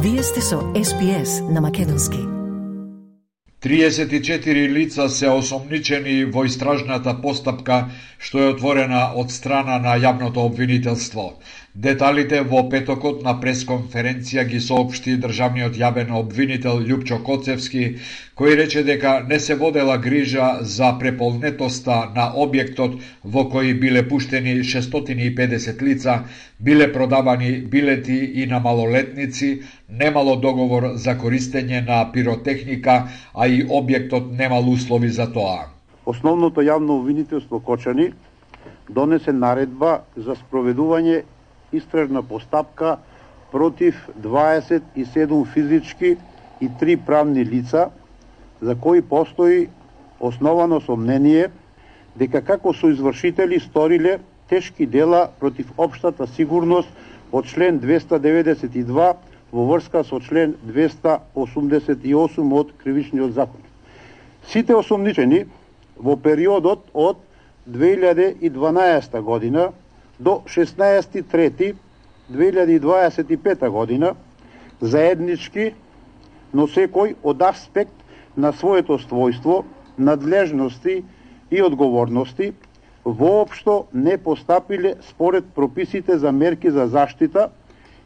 Вие сте со SPS на Македонски. 34 лица се осомничени во истражната постапка што е отворена од страна на јавното обвинителство. Деталите во петокот на пресконференција ги соопшти државниот јавен обвинител Љупчо Коцевски, кој рече дека не се водела грижа за преполнетоста на објектот во кој биле пуштени 650 лица, биле продавани билети и на малолетници, немало договор за користење на пиротехника, а и објектот немал услови за тоа. Основното јавно обвинителство Кочани донесе наредба за спроведување истражна постапка против 27 физички и 3 правни лица, за кои постои основано сомнение дека како соизвршители сториле тешки дела против општата сигурност од член 292 во врска со член 288 од Кривичниот закон. Сите осомничени во периодот од 2012 година до 16.3.2025 година заеднички, но секој од аспект на своето својство, надлежности и одговорности, воопшто не постапиле според прописите за мерки за заштита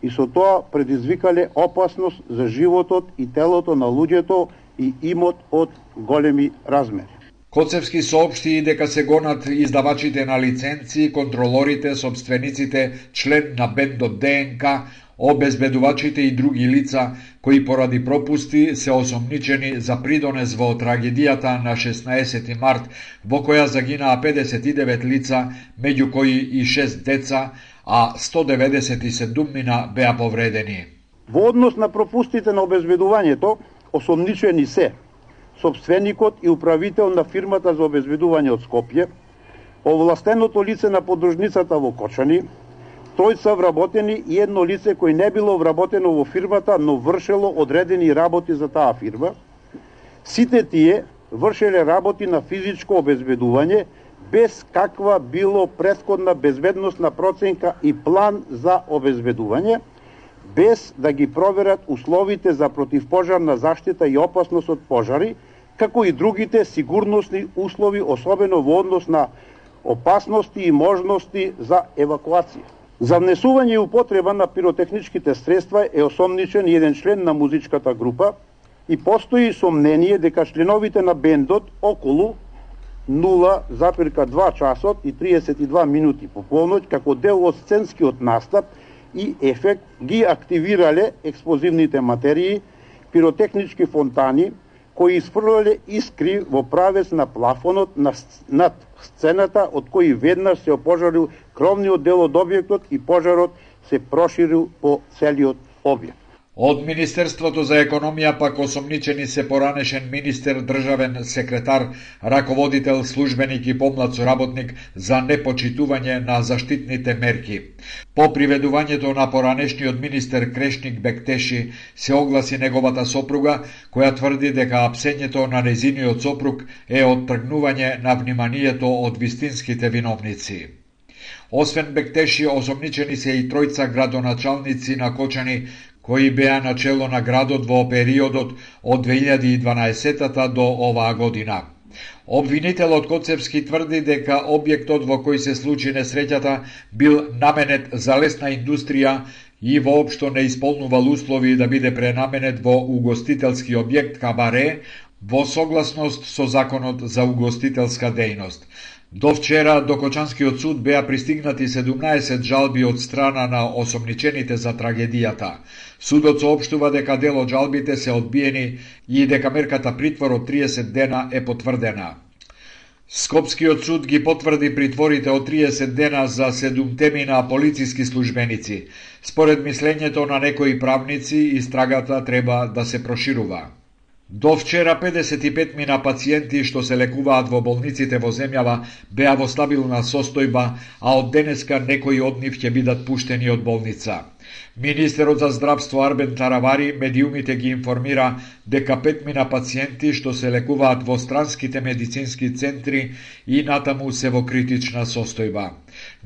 и со тоа предизвикале опасност за животот и телото на луѓето и имот од големи размери. Коцевски соопшти и дека се гонат издавачите на лиценци, контролорите, собствениците, член на бендот ДНК, обезбедувачите и други лица кои поради пропусти се осомничени за придонес во трагедијата на 16 март во која загинаа 59 лица, меѓу кои и 6 деца, а 197 беа повредени. Во однос на пропустите на обезбедувањето, осомничени се собственикот и управител на фирмата за обезбедување од Скопје, овластеното лице на подружницата во Кочани, тројца вработени и едно лице кој не било вработено во фирмата, но вршело одредени работи за таа фирма. Сите тие вршеле работи на физичко обезбедување без каква било претходна безбедносна проценка и план за обезбедување, без да ги проверат условите за противпожарна заштита и опасност од пожари, како и другите сигурносни услови, особено во однос на опасности и можности за евакуација. За внесување и употреба на пиротехничките средства е осомничен еден член на музичката група и постои сомнение дека членовите на бендот околу 0,2 часот и 32 минути по полноќ како дел од сценскиот настап и ефект ги активирале експлозивните материи, пиротехнички фонтани, кои испрлале искри во правец на плафонот над сцената, од кои веднаш се опожарил кровниот дел од објектот и пожарот се проширил по целиот објект. Од Министерството за економија пак осомничени се поранешен министер, државен секретар, раководител, службеник и помлад соработник за непочитување на заштитните мерки. По приведувањето на поранешниот министер Крешник Бектеши се огласи неговата сопруга, која тврди дека апсењето на незиниот сопруг е оттргнување на вниманието од вистинските виновници. Освен Бектеши, осомничени се и тројца градоначалници на Кочани, кои беа начело на градот во периодот од 2012 до оваа година. Обвинителот Коцевски тврди дека објектот во кој се случи несреќата бил наменет за лесна индустрија и воопшто не исполнувал услови да биде пренаменет во угостителски објект кабаре во согласност со законот за угостителска дејност. До вчера до Кочанскиот суд беа пристигнати 17 жалби од страна на осомничените за трагедијата. Судот соопштува дека дел од жалбите се одбиени и дека мерката притвор од 30 дена е потврдена. Скопскиот суд ги потврди притворите од 30 дена за 7 полициски службеници. Според мислењето на некои правници, истрагата треба да се проширува. До вчера 55 пациенти што се лекуваат во болниците во земјава беа во стабилна состојба, а од денеска некои од нив ќе бидат пуштени од болница. Министерот за здравство Арбен Таравари медиумите ги информира дека 5 пациенти што се лекуваат во странските медицински центри и натаму се во критична состојба.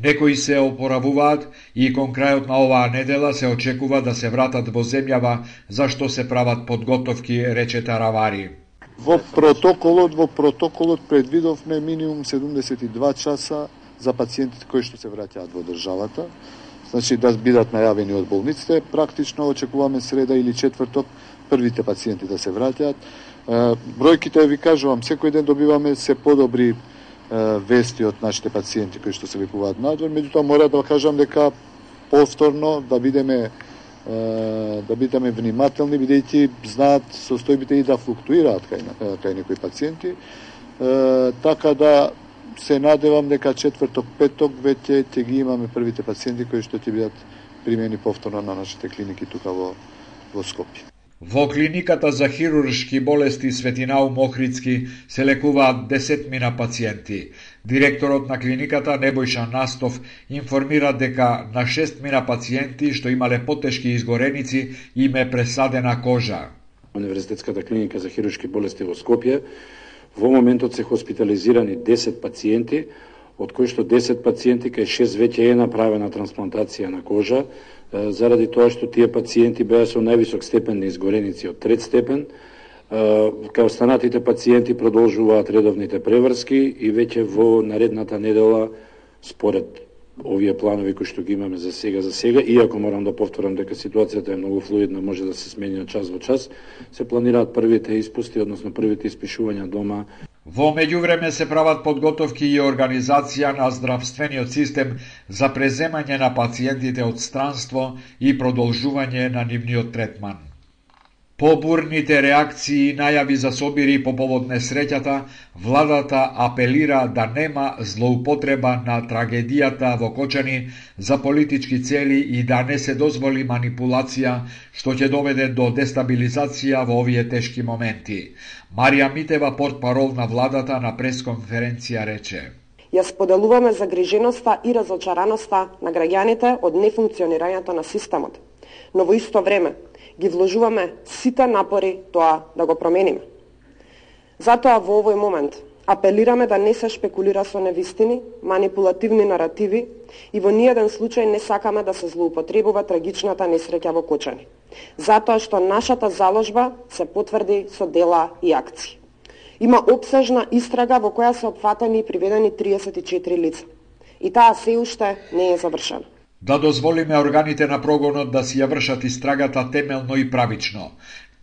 Некои се опоравуваат и кон крајот на оваа недела се очекува да се вратат во земјава за што се прават подготовки, рече Таравари. Во протоколот предвидовме минимум 72 часа за пациентите кои што се враќаат во државата. Значи да бидат најавени од болниците, практично очекуваме среда или четврток првите пациенти да се враќаат. Бројките ви кажувам, секој ден добиваме се подобри вести од нашите пациенти кои што се лекуваат надвор, меѓутоа мора да кажам дека повторно да бидеме внимателни, бидејќи знаат состојбите и да флуктуираат кај некои пациенти, така да се надевам дека четврток, петок веќе ќе ги имаме првите пациенти кои што ќе бидат примени повторно на нашите клиники тука во Скопје. Во клиниката за хируршки болести Светинаум Охридски се лекуваат 10 пациенти. Директорот на клиниката Небојша Настов информира дека на 6 пациенти што имале потешки изгореници им е пресадена кожа. Универзитетската клиника за хируршки болести во Скопје во моментот се хоспитализирани 10 пациенти, од кои што 10 пациенти кај 6 веќе е направена трансплантација на кожа, заради тоа што тие пациенти беа со највисок степен на изгореници од 3 степен. Кај останатите пациенти продолжуваат редовните преврски и веќе во наредната недела, според овие планови кои што ги имаме за сега, иако морам да повторам дека ситуацијата е многу флуидна, може да се смени од час во час, се планираат првите испусти, односно првите испишувања дома. Во меѓувреме се прават подготовки и организација на здравствениот систем за преземање на пациентите од странство и продолжување на нивниот третман. По бурните реакции и најави за собири по повод несреќата, владата апелира да нема злоупотреба на трагедијата во Кочани за политички цели и да не се дозволи манипулација што ќе доведе до дестабилизација во овие тешки моменти. Марија Митева, портпарол на владата, на пресконференција рече: Ја споделуваме загриженоста и разочараноста на граѓаните од нефункционирањето на системот, но во исто време ги вложуваме сите напори тоа да го промениме. Затоа во овој момент апелираме да не се шпекулира со невистини, манипулативни наративи и во ниеден случај не сакаме да се злоупотребува трагичната несреќа во Кочани. Затоа што нашата заложба се потврди со дела и акции. Има опсежна истрага во која се опфатени и приведени 34 лица. И таа се уште не е завршена. Да дозволиме органите на прогонот да си ја вршат истрагата темелно и правично.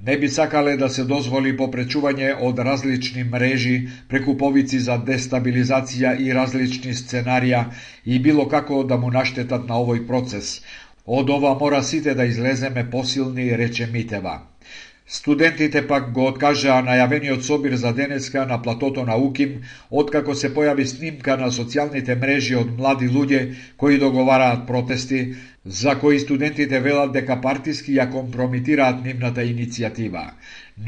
Не би сакале да се дозволи попречување од различни мрежи, прекуповици за дестабилизација и различни сценарија и било како да му наштетат на овој процес. Од ова мора сите да излеземе посилни, рече Митева. Студентите пак го откажаа најавениот собир за денеска на платото на Уким, откако се појави снимка на социјалните мрежи од млади луѓе кои договараат протести, за кои студентите велат дека партиски ја компромитираат нивната иницијатива.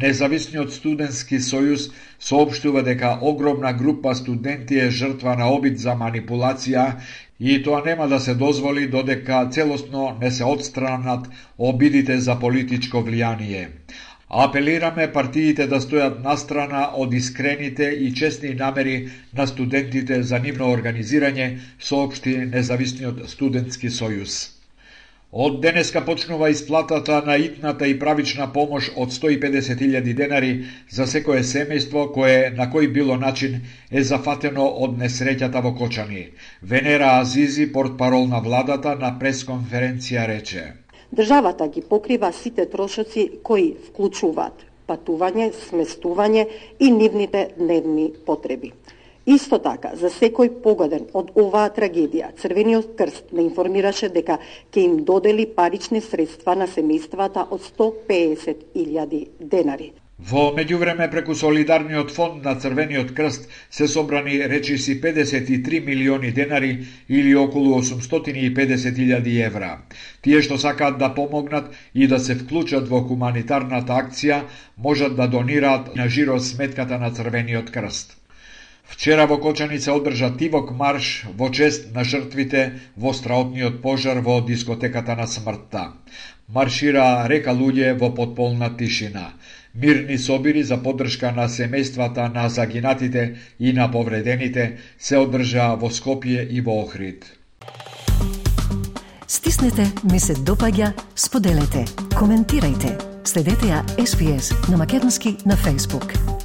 Независниот студентски сојуз соопштува дека огромна група студенти е жртва на обид за манипулација и тоа нема да се дозволи додека целосно не се отстранат обидите за политичко влијание. Апелираме партиите да стојат настрана од искрените и честни намери на студентите за нивно организирање, соопшти Независниот студентски сојуз. Од денеска почнува исплатата на итната и правична помош од 150.000 денари за секое семејство кое на кој било начин е зафатено од несреќата во Кочани. Венера Азизи, портпарол на владата, на пресконференција рече: Државата ги покрива сите трошоци кои вклучуваат патување, сместување и нивните дневни потреби. Исто така, за секој погоден од оваа трагедија, Црвениот крст не информираше дека ќе им додели парични средства на семејствата од 150.000 денари. Во меѓувреме преку Солидарниот фонд на Црвениот крст се собрани речиси 53 милиони денари или околу 850.000 евра. Тие што сакаат да помогнат и да се вклучат во хуманитарната акција можат да донираат на жиро сметката на Црвениот крст. Вчера во Кочани се одржа тивок марш во чест на жртвите во страотниот пожар во дискотеката на смртта. Маршира река луѓе во потполна тишина. Мирни собири за поддршка на семејствата на загинатите и на повредените се одржа во Скопје и во Охрид. Стиснете ми се допаѓа, споделете, коментирајте. Следете ја SPS на Македонски на Facebook.